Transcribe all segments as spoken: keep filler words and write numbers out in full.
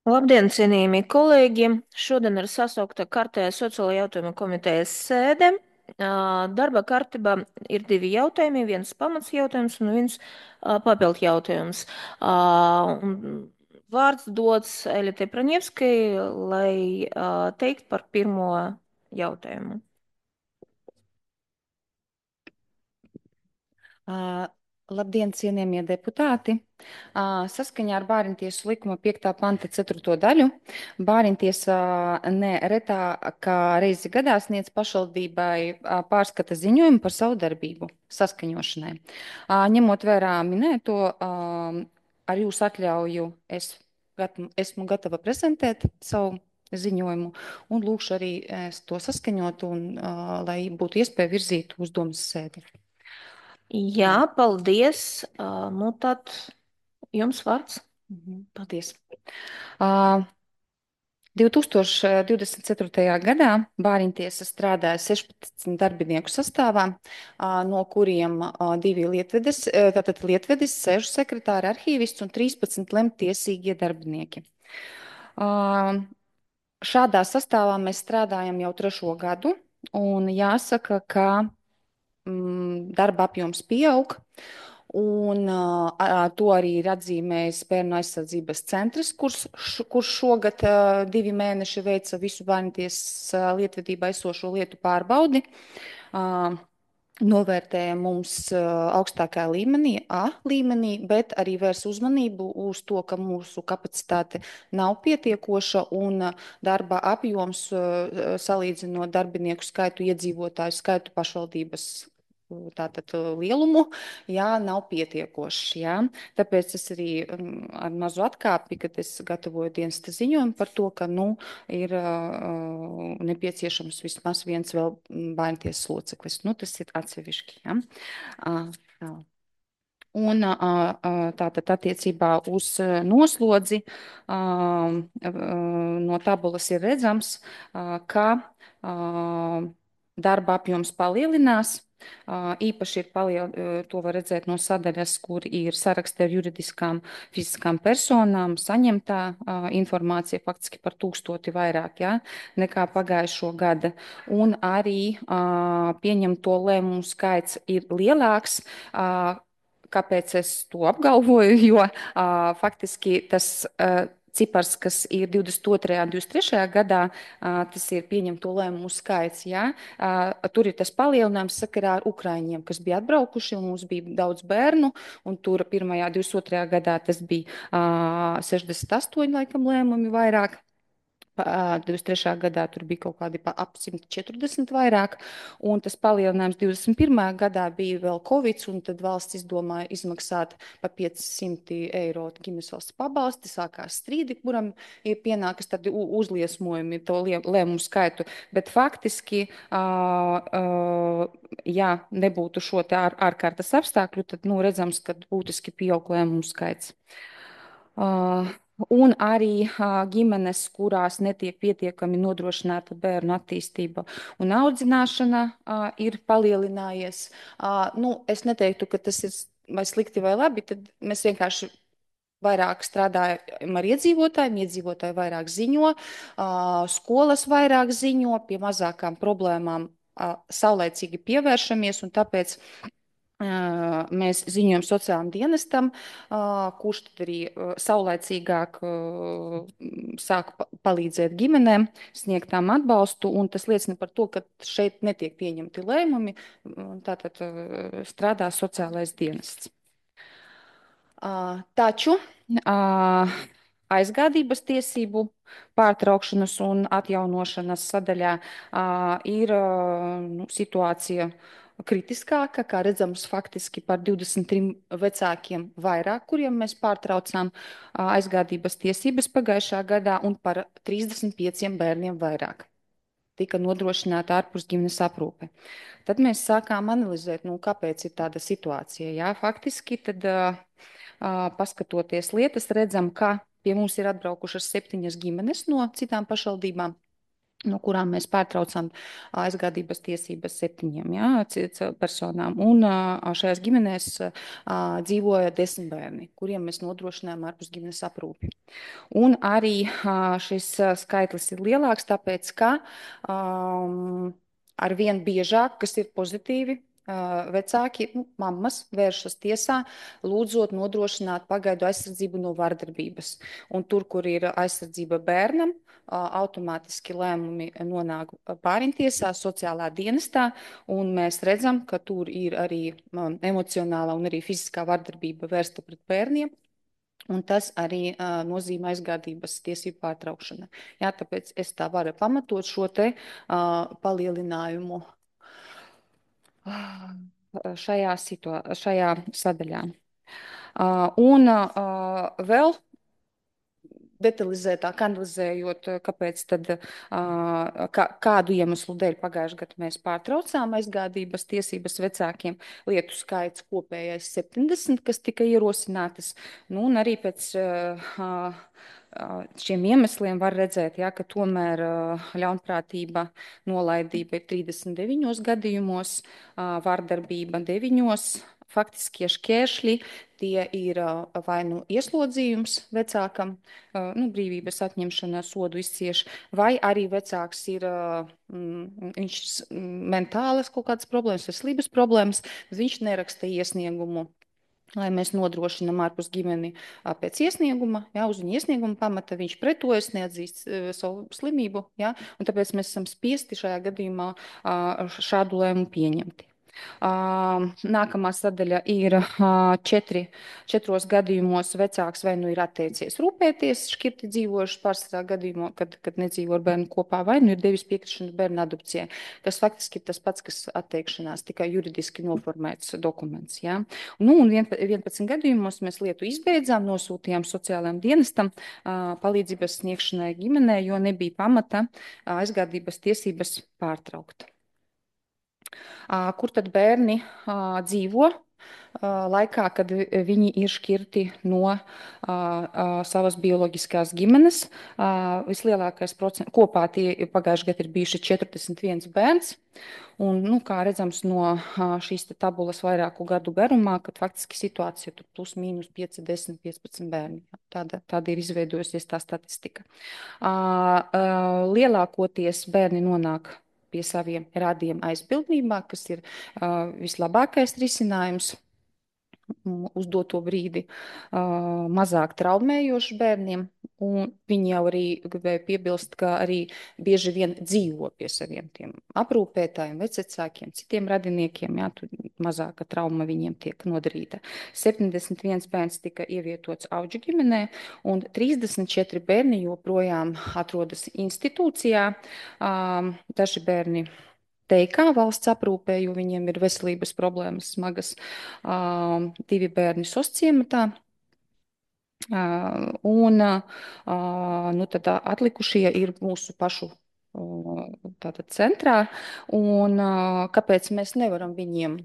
Labdien, cienījamie kolēģi! Šodien ir sasaukta kārtējā sociālo jautājumu komitejas sēde. Ā, Darba kārtībā ir divi jautājumi, viens pamats jautājums un viens ā, papildu jautājums. Ā, un Vārds dots Elitei Praņevskai, lai ā, teikt par pirmo jautājumu. Uh, Labdien, cienījamie deputāti! Uh, Saskaņā ar Bāriņtiesu likuma piektā panta ceturto daļu Bāriņtiesa ne retā kā reizi gadā sniedz pašvaldībai uh, pārskata ziņojumu par savu darbību saskaņošanai. Uh, Ņemot vērā minēto, uh, ar jūsu atļauju es gat, esmu gatava prezentēt savu ziņojumu un lūkšu arī es to saskaņot un uh, lai būtu iespēja virzīt uz domas sēdi. Jā, paldies. Ā, Nu tad jums vārds. Mhm, paldies. Uh, divtūkstoš divdesmit ceturtajā. gadā Bāriņtiesa strādāja sešpadsmit darbinieku sastāvā, uh, no kuriem uh, divi lietvedes, uh, tātad lietvedis, sešu sekretāri, arhīvists un trīspadsmit lemtiesīgie darbinieki. Uh, Šādā sastāvā mēs strādājam jau trešo gadu, un jāsaka, ka mm, darba apjoms pieaug. Un, uh, to arī ir atzīmējis Bērnu aizsardzības centrs, kurš, š, kurš šogad uh, divi mēneši veica visu bērnties uh, lietvedībā esošo lietu pārbaudi. Uh, Novērtēja mums uh, augstākā līmenī, A līmenī, bet arī vērs uzmanību uz to, ka mūsu kapacitāte nav pietiekoša un uh, darba apjoms uh, salīdzinot darbinieku skaitu, iedzīvotāju skaitu pašvaldības tātad lielumu, jā, nav pietiekošs, jā. Tāpēc es arī um, ar mazu atkāpi, kad es gatavoju dienas ziņojumu par to, ka, nu, ir uh, nepieciešams vismaz viens vēl bērntiesas loceklis. Nu, tas ir atsevišķi, jā. Uh, tā. Un uh, uh, tātad attiecībā uz uh, noslodzi uh, uh, no tabulas ir redzams, uh, ka uh, darba apjoms palielinās. Uh, Īpaši ir paliel, uh, to var redzēt no sadaļas, kur ir saraksti ar juridiskām fiziskām personām, saņemtā uh, informācija faktiski par tūkstoti vairāk, ja, nekā pagājušo gada. Un arī uh, pieņemto lēmumu skaits ir lielāks. Uh, Kāpēc es to apgalvoju? Jo uh, faktiski tas uh, cipars, kas ir divdesmit otrajā un divdesmit trešajā gadā, uh, tas ir pieņemto lēmumu skaits. Ja? Uh, tur ir tas palielinājums sakarā ar Ukraiņiem, kas bija atbraukuši, un mums bija daudz bērnu, un tur pirmajā, divdesmit otrajā gadā tas bija uh, sešdesmit astoņi laikam lēmumi vairāk. divdesmit trešā. gadā tur bija kaut kādi ap simt četrdesmit vairāk, un tas palielinājums divdesmit pirmajā. gadā bija vēl Covid, un tad valsts izdomāja izmaksāt pa piecsimt eiro ģimenes valsts pabalsti, sākās strīdi, kuram ir pienākas tad uzliesmojumi to lēmumu skaitu, bet faktiski, uh, uh, ja nebūtu šo te ār, ārkārtas apstākļu, tad, nu, redzams, ka būtiski pieaug lēmumu skaits. Uh, Un arī uh, ģimenes, kurās netiek pietiekami nodrošināta bērnu attīstība un audzināšana, uh, ir palielinājies. Uh, nu, es neteiktu, ka tas ir vai slikti vai labi, tad mēs vienkārši vairāk strādājam ar iedzīvotājiem, iedzīvotāji vairāk ziņo, uh, skolas vairāk ziņo, pie mazākām problēmām uh, saulēcīgi pievēršamies, un tāpēc mēs ziņojam sociālajam dienestam, kurš tad arī saulaicīgāk sāk palīdzēt ģimenēm, sniegt tām atbalstu, un tas liecina par to, ka šeit netiek pieņemti lēmumi, tātad strādā sociālais dienests. Taču aizgādības tiesību pārtraukšanas un atjaunošanas sadaļā ir nu, situācija kritiskāka, kā redzams, faktiski par divdesmit trim vecākiem vairāk, kuriem mēs pārtraucām aizgādības tiesības pagājušā gadā, un par trīsdesmit pieciem bērniem vairāk tika nodrošināta ārpus ģimenes aprūpe. Tad mēs sākām analizēt, nu, kāpēc ir tāda situācija. Jā, faktiski tad, uh, paskatoties lietas, redzam, ka pie mums ir atbraukušas septiņas ģimenes no citām pašvaldībām. no kurām mēs pārtraucam aizgādības tiesības septiņiem, jā, c- c- personām. Un ā, šajās ģimenēs ā, dzīvoja desmit bērni, kuriem mēs nodrošinājām ārpus ģimenes aprūpi. Un arī ā, šis ā, skaitlis ir lielāks, tāpēc, ka um, ar vien biežāk, kas ir pozitīvi, ā, vecāki, nu, mammas vēršas tiesā, lūdzot nodrošināt pagaidu aizsardzību no vardarbības. Un tur, kur ir aizsardzība bērnam, ā, automātiski lēmumi nonāk pārimtiesā, sociālā dienestā, un mēs redzam, ka tur ir arī um, emocionālā un arī fiziskā vardarbība vērsta pret bērniem. Un tas arī uh, nozīmē aizgādības tiesību pārtraukšanu. Jā, tāpēc es tā varu pamatot šo te uh, palielinājumu uh, šajā, situā šajā sadaļā. Uh, un uh, vēl detalizētāk analizējot, kāpēc tad, kā, kādu iemeslu dēļ pagājušajā gadā mēs pārtraucām aizgādības tiesības vecākiem. Lietu skaits kopējais septiņdesmit, kas tika ierosinātas. Nu, un arī pēc šiem iemesliem var redzēt, ja, ka tomēr ļaunprātība, nolaidība ir trīsdesmit deviņos gadījumos, vardarbība deviņos. Faktiskie šķēršļi tie ir vai nu ieslodzījums vecākam, nu, brīvības atņemšana, sodu izcieš, vai arī vecāks ir mm, viņš mentālas kaut kādas problēmas, veselības problēmas, viņš neraksta iesniegumu. Lai mēs nodrošinām ārpus ģimeni pēc iesnieguma, jā, uz viņa iesnieguma pamata viņš pretojas, neatzīst savu slimību, jā, un tāpēc mēs esam spiesti šajā gadījumā šādu lēmumu pieņemt. Nākamā sadaļa ir četri, četros gadījumos vecāks vai nu ir atteicies rūpēties, šķirti dzīvojuši pārsvarā gadījumā, kad, kad nedzīvo ar bērnu kopā, vai nu ir devis piekrišanu bērnu adopcijai, kas faktiski ir tas pats, kas atteikšanās, tikai juridiski noformēts dokuments. Ja? Nu, un vienpadsmit gadījumos mēs lietu izbeidzām, nosūtījām sociālajiem dienestam palīdzības sniegšanai ģimenei, jo nebija pamata aizgādības tiesības pārtraukt. Kur tad bērni dzīvo laikā, kad viņi ir šķirti no savas bioloģiskās ģimenes? Vislielākais procents kopā tie pagājušajā gadā ir bijuši četrdesmit viens bērns. Un, nu, kā redzams no šīs tabulas vairāku gadu garumā, kad faktiski situācija tur plus mīnus pieci, desmit, piecpadsmit bērni. Tāda, tāda ir izveidojusies tā statistika. Lielākoties bērni nonāk pie saviem radiem aizbildnībā, kas ir uh, vislabākais risinājums uz doto brīdi, uh, mazāk traumējoši bērniem. Un viņi jau arī gribēja piebilst, ka arī bieži vien dzīvo pie saviem tiem aprūpētājiem, vecākiem, citiem radiniekiem. Jā, tur mazāka trauma viņiem tiek nodarīta. septiņdesmit viens bērns tika ievietots Auģu ģimenē, un trīsdesmit četri bērni joprojām atrodas institūcijā. Um, daži bērni teikā valsts aprūpē, jo viņiem ir veselības problēmas smagas. Um, divi bērni sosciematā. Uh, un uh, nu, tad atlikušie ir mūsu pašu uh, tātad centrā. Un uh, kāpēc mēs nevaram viņiem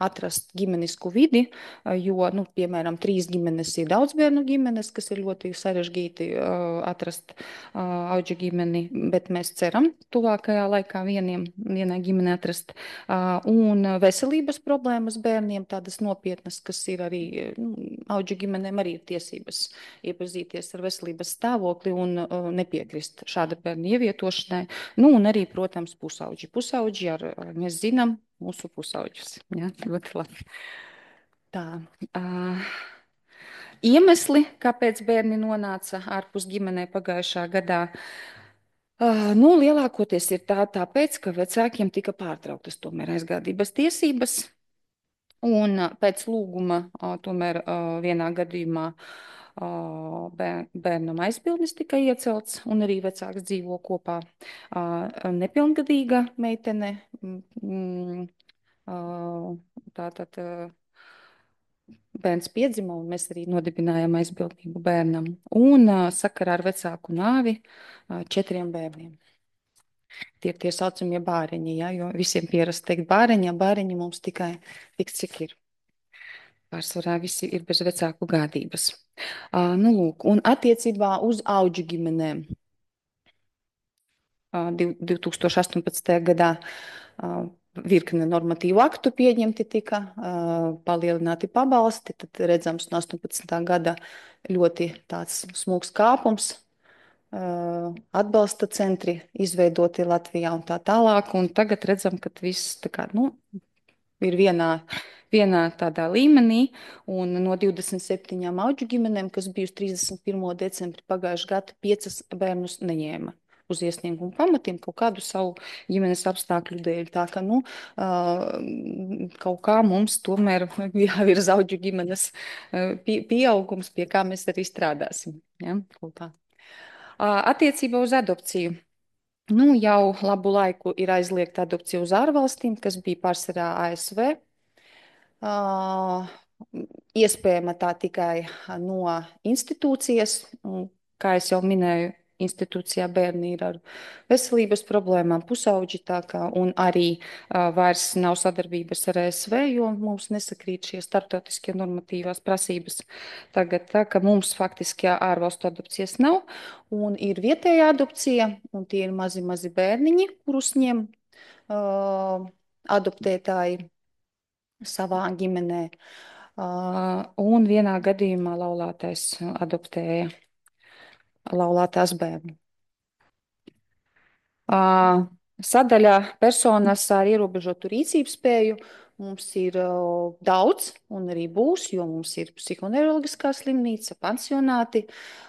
atrast ģimenisku vidi, jo, nu, piemēram, trīs ģimenes ir daudz bērnu ģimenes, kas ir ļoti sarežģīti uh, atrast uh, auģu ģimeni, bet mēs ceram tuvākajā laikā vieniem, vienai ģimeni atrast. Uh, un veselības problēmas bērniem, tādas nopietnas, kas ir arī, nu, auģu ģimenēm arī ir tiesības iepazīties ar veselības stāvokli un uh, nepiekrist šāda bērna ievietošanai. Nu, un arī, protams, pusauģi. Pusauģi, ar, mēs zinām, mūsu pusauģus. Ja, ļoti labi. Tā. Uh, iemesli, kāpēc bērni nonāca ārpus ģimenē pagājušā gadā, uh, nu, lielākoties ir tā, tāpēc, ka vecākiem tika pārtrauktas tomēr aizgādības tiesības. Un uh, pēc lūguma uh, tomēr uh, vienā gadījumā uh, bēr, bērnam aizbildnis tika iecelts, un arī vecāks dzīvo kopā. Uh, nepilngadīga meitene. Mm, Tātad bērns piedzima, un mēs arī nodibinājām aizbildnību bērnam. Un sakarā ar vecāku nāvi četriem bērniem. Tie ir tie saucamie bāreņi, ja, jo visiem pierast teikt bāreņi, ja bāreņi mums tikai tik, cik ir. Pārsvarā visi ir bez vecāku gādības. Uh, nu, lūk, un attiecībā uz auģu ģimenēm. div tūkstoš astoņpadsmitajā gadā virkne normatīvu aktu pieņemti tika, palielināti pabalsti, tad redzams no astoņpadsmitā gada ļoti tāds smūgs kāpums, atbalsta centri izveidoti Latvijā un tā tālāk, un tagad redzam, ka viss tā kā, nu, ir vienā, vienā tādā līmenī, un no divdesmit septiņām auģu ģimenēm, kas bija uz trīsdesmit pirmo decembri pagājušajā gadā, piecas bērnus neņēma uz iesniegumu pamatiem kaut kādu savu ģimenes apstākļu dēļ. Tā ka, nu, kaut kā mums tomēr jāvirza auģu ģimenes pieaugums, pie kā mēs arī strādāsim. Ja? Kaut kā. Attiecībā uz adopciju. Nu, jau labu laiku ir aizliegta adopcija uz ārvalstīm, kas bija pārsvarā A S V. Uh, iespējama tā tikai no institūcijas. Un, kā jau minēju, institūcijā bērni ir ar veselības problēmām, pusauģi, kā, un arī uh, vairs nav sadarbības ar A S V, jo mums nesakrīt šie starptautiskie normatīvās prasības. Tagad tā, ka mums faktiski ārvalstu adopcijas nav, un ir vietējā adopcija, un tie ir mazi, mazi bērniņi, kurus ņem uh, adoptētāji savā ģimenē. Uh, un vienā gadījumā laulātais adoptēja laulātās bērnu. Uh, sadaļā personas ar ierobežotu rīcības spēju mums ir uh, daudz, un arī būs, jo mums ir psihoneiroloģiskā slimnīca, pansionāti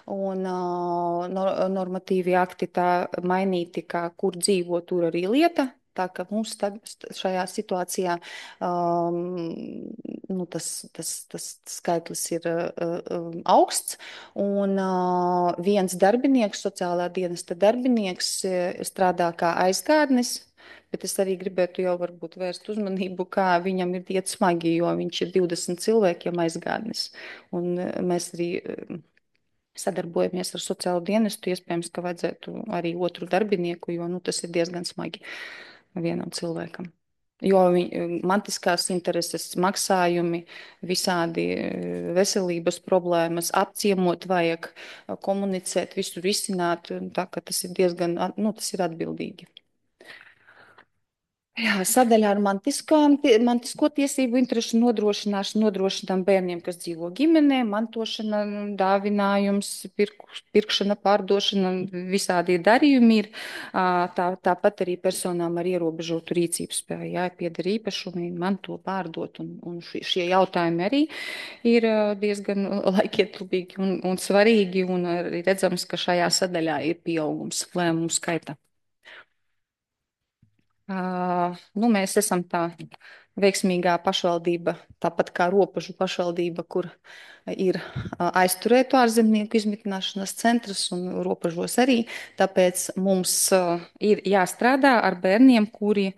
un uh, normatīvi akti tā mainīti, kā kur dzīvo, tur arī lieta. Tā ka mums šajā situācijā um, nu, tas, tas, tas skaitlis ir uh, augsts. Un uh, viens darbinieks, sociālā dienesta darbinieks, strādā kā aizgādnis. Bet es arī gribētu jau varbūt vērst uzmanību, kā viņam ir iet smagi, jo viņš ir divdesmit cilvēkiem aizgādnis. Un mēs arī sadarbojamies ar sociālo dienestu. Iespējams, ka vajadzētu arī otru darbinieku, jo nu, tas ir diezgan smagi vienam cilvēkam. Jo viņi, mantiskās intereses, maksājumi, visādi veselības problēmas, apciemot vajag, komunicēt, visu risināt, tā ka tas ir diezgan, nu, tas ir atbildīgi. Jā, sadaļā ar mantiskām, mantisko tiesību interešu nodrošināšanu nodrošinām bērniem, kas dzīvo ģimenē, mantošana, dāvinājums, pirk, pirkšana, pārdošana, visādi darījumi ir. Tā, tāpat arī personām ar ierobežotu rīcības spēju, jā, pieder īpašumi, manto, pārdot, un, un šie jautājumi arī ir diezgan laikietilpīgi un, un svarīgi, un arī redzams, ka šajā sadaļā ir pieaugums lēmumu skaita. Uh, nu, mēs esam tā veiksmīgā pašvaldība, tāpat kā Ropažu pašvaldība, kur ir uh, aizturētu ārzemnieku izmitināšanas centrs un Ropažos arī. Tāpēc mums uh, ir jāstrādā ar bērniem, kuri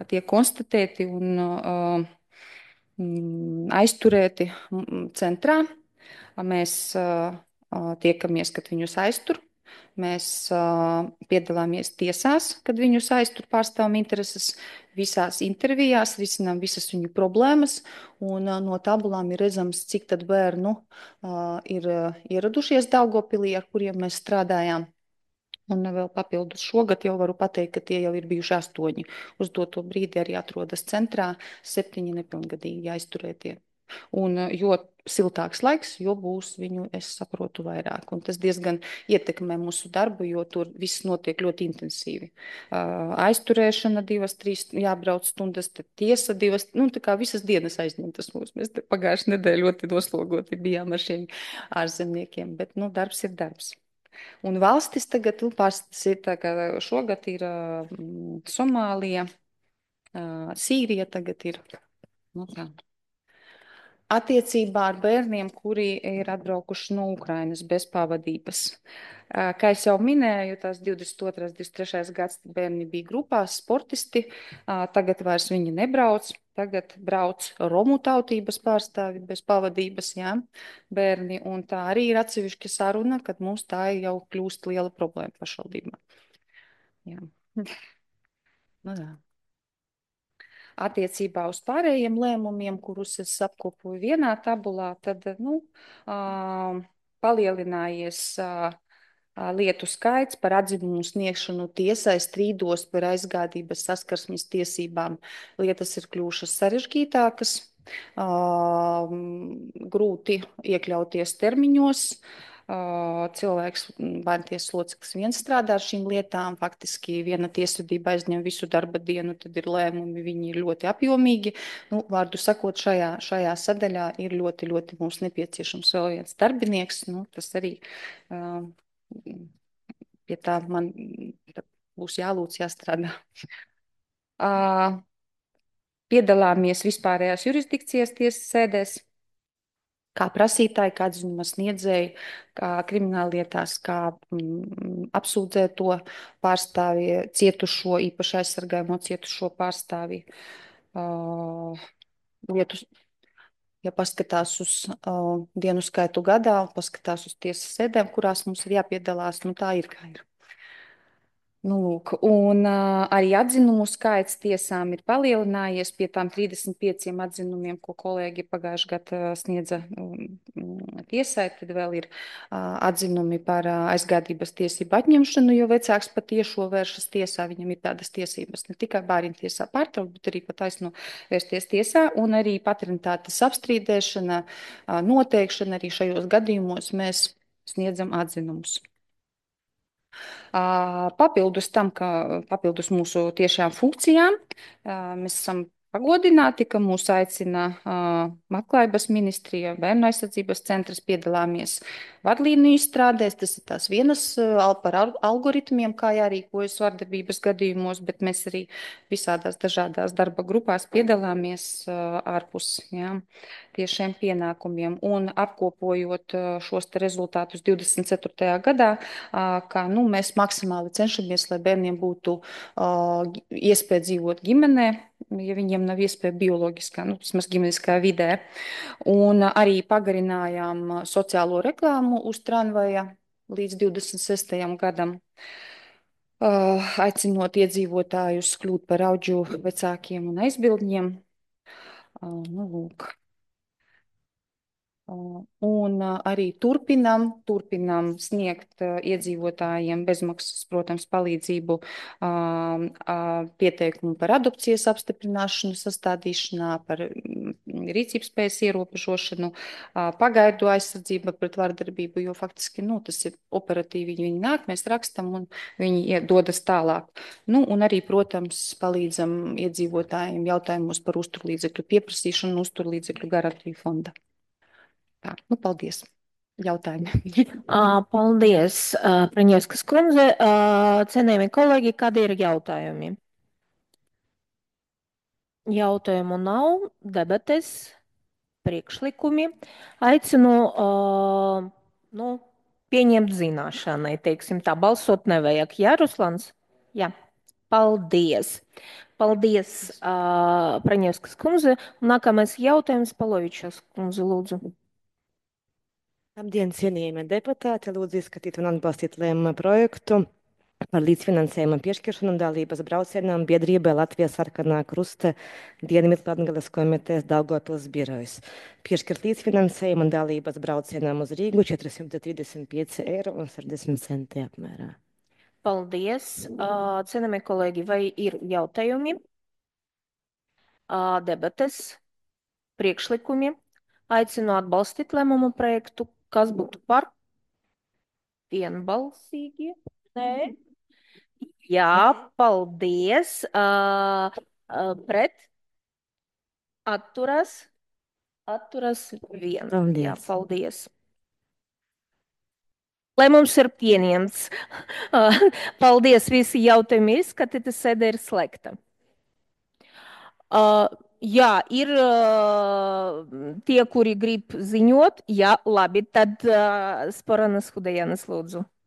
tiek konstatēti un uh, aizturēti centrā. Mēs uh, tiekamies, kad viņus aiztur. Mēs uh, piedalāmies tiesās, kad viņus aiztur, pārstāvam intereses, visās intervijās, risinām visas viņu problēmas, un uh, no tabulām ir redzams, cik tad bērnu uh, ir uh, ieradušies Daugavpilī, ar kuriem mēs strādājām. Un vēl papildus šogad jau varu pateikt, ka tie jau ir bijuši astoņi. Uz doto brīdi arī atrodas centrā septiņi nepilngadīgi aizturētie. Un, jo siltāks laiks, jo būs viņu, es saprotu, vairāk. Un tas diezgan ietekmē mūsu darbu, jo tur viss notiek ļoti intensīvi. Uh, aizturēšana divas, trīs, jābrauc stundas, tad tiesa divas, nu tā kā visas dienas aizņemtas mūs. Mēs pagājušajā nedēļā ļoti noslogoti bijām ar šiem ārzemniekiem, bet, nu, darbs ir darbs. Un valstis tagad, nu, pārstas ir tā, ka šogad ir uh, Somālija, uh, Sīrija tagad ir, nu tā. Attiecībā ar bērniem, kuri ir atbraukuši no Ukrainas bez pavadības. Kā es jau minēju, tās divdesmit otrais, divdesmit trešais gads bērni bija grupās, sportisti, tagad vairs viņi nebrauc, tagad brauc romu tautības pārstāvi bez pavadības, jā, bērni, un tā arī ir atsevišķa saruna, kad mums tā jau kļūst liela problēma pašvaldībā. Jā. Nu, jā. Attiecībā uz pārējiem lēmumiem, kurus es apkopoju vienā tabulā, tad, nu, uh, palielinājies uh, lietu skaits par atzinumu sniegšanu tiesai strīdos par aizgādības saskarsmes tiesībām. Lietas ir kļuvušas sarežģītākas, grūti iekļauties termiņos. Cilvēks, bērntiesas loceklis viens strādā ar šīm lietām, faktiski viena tiesvedība aizņem visu darba dienu, tad ir lēmumi, viņi ir ļoti apjomīgi. Nu, vārdu sakot, šajā, šajā sadaļā ir ļoti, ļoti mums nepieciešams vēl viens darbinieks. Nu, tas arī uh, pie tā man būs jālūdz, jāstrādā. Uh, piedalāmies vispārējās jurisdikcijas tiesas sēdēs, kā prasītāji, kā atzinuma sniedzēji, kā krimināllietās, kā mm, apsūdzēto pārstāvi, cietušo, īpaši aizsargājamo cietušo pārstāvi. Uh, lietu, ja paskatās uz uh, dienu skaitu gadā, paskatās uz tiesas sēdēm, kurās mums ir jāpiedalās, nu tā ir, kā ir. Nu, lūk, un uh, arī atzinumu skaits tiesām ir palielinājies pie tām trīsdesmit pieciem atzinumiem, ko kolēģi pagājušajā gadā sniedza um, tiesai. Tad vēl ir uh, atzinumi par uh, aizgādības tiesību atņemšanu, jo vecāks patiešo vēršas tiesā. Viņam ir tādas tiesības ne tikai bērnu tiesā pārtraukt, bet arī pataisno vērsties tiesā. Un arī paternitātes apstrīdēšana, uh, noteikšana arī šajos gadījumos mēs sniedzam atzinumus. Papildus tam, ka papildus mūsu tiešām funkcijām, mēs esam pagodināti, ka mūs aicina Labklājības ministrija, Bērnu aizsardzības centrs, piedalāmies vadlīniju izstrādēs. Tas ir tās vienas par algoritmiem, kā jārīkojas vardarbības gadījumos, bet mēs arī visādās dažādās darba grupās piedalāmies ārpus, jā, tiešiem pienākumiem. Un apkopojot šos te rezultātus divdesmit ceturtajā gadā, kā nu, mēs maksimāli cenšamies, lai bērniem būtu iespēja dzīvot ģimenē, ja viņiem nav iespēja bioloģiskā, nu, vismaz ģimeniskā vidē. Un arī pagarinājām sociālo reklāmu uz tramvaja līdz divdesmit sestajam gadam, aicinot iedzīvotājus kļūt par audžu vecākiem un aizbildņiem. Nu, lūk. Un arī turpinam, turpinam sniegt iedzīvotājiem bezmaksas, protams, palīdzību pieteikumu par adopcijas apstiprināšanu, sastādīšanā, par rīcības spējas ierobežošanu, pagaidu aizsardzību pret vardarbību, jo faktiski, nu, tas ir operatīvi, viņi nāk, mēs rakstam un viņi dodas tālāk. Nu, un arī, protams, palīdzam iedzīvotājiem jautājumos par uzturlīdzekļu pieprasīšanu, uzturlīdzekļu garantiju fonda. Tā, nu, paldies. Jautājumi. Paldies, Praņevskas kundze. Cienījamie kolēģi, kādi ir jautājumi? Jautājumu nav, debates, priekšlikumi. Aicinu nu, pieņemt zināšanai, teiksim tā, balsot nevajag. Jā, Ruslans? Jā. Paldies. Paldies, Praņevskas kundze. Nākamais jautājums, Palovičs kundze, lūdzu. Labdien, cienījamie deputāti! Lūdzu izskatīt un atbalstīt lēmuma projektu par līdzfinansējuma piešķiršanu dalības braucienam biedrībai Latvijas Sarkanā Krusta Dienvidlatgales komitejas Daugavpils birojas. Piešķirt līdzfinansējumu dalības braucienam uz Rīgu četri simti trīsdesmit pieci eiro un sešdesmit centi apmērā. Paldies, cienījamie kolēģi, vai ir jautājumi, debates, priekšlikumi? Aicinu atbalstīt lēmumu projektu. Kas būtu par? Vienbalsīgi? Nē. Jā, paldies. Uh, uh, pret? Atturas? Atturas vien. Paldies. Jā, paldies. Lēmums ir pieņemts. Uh, paldies, visi jautājumi izskatīti, sēde ir slēgta. Uh, jā, ir uh, tie, kuri grib ziņot. Jā, labi, tad uh, Sporanas Hudejanas lūdzu.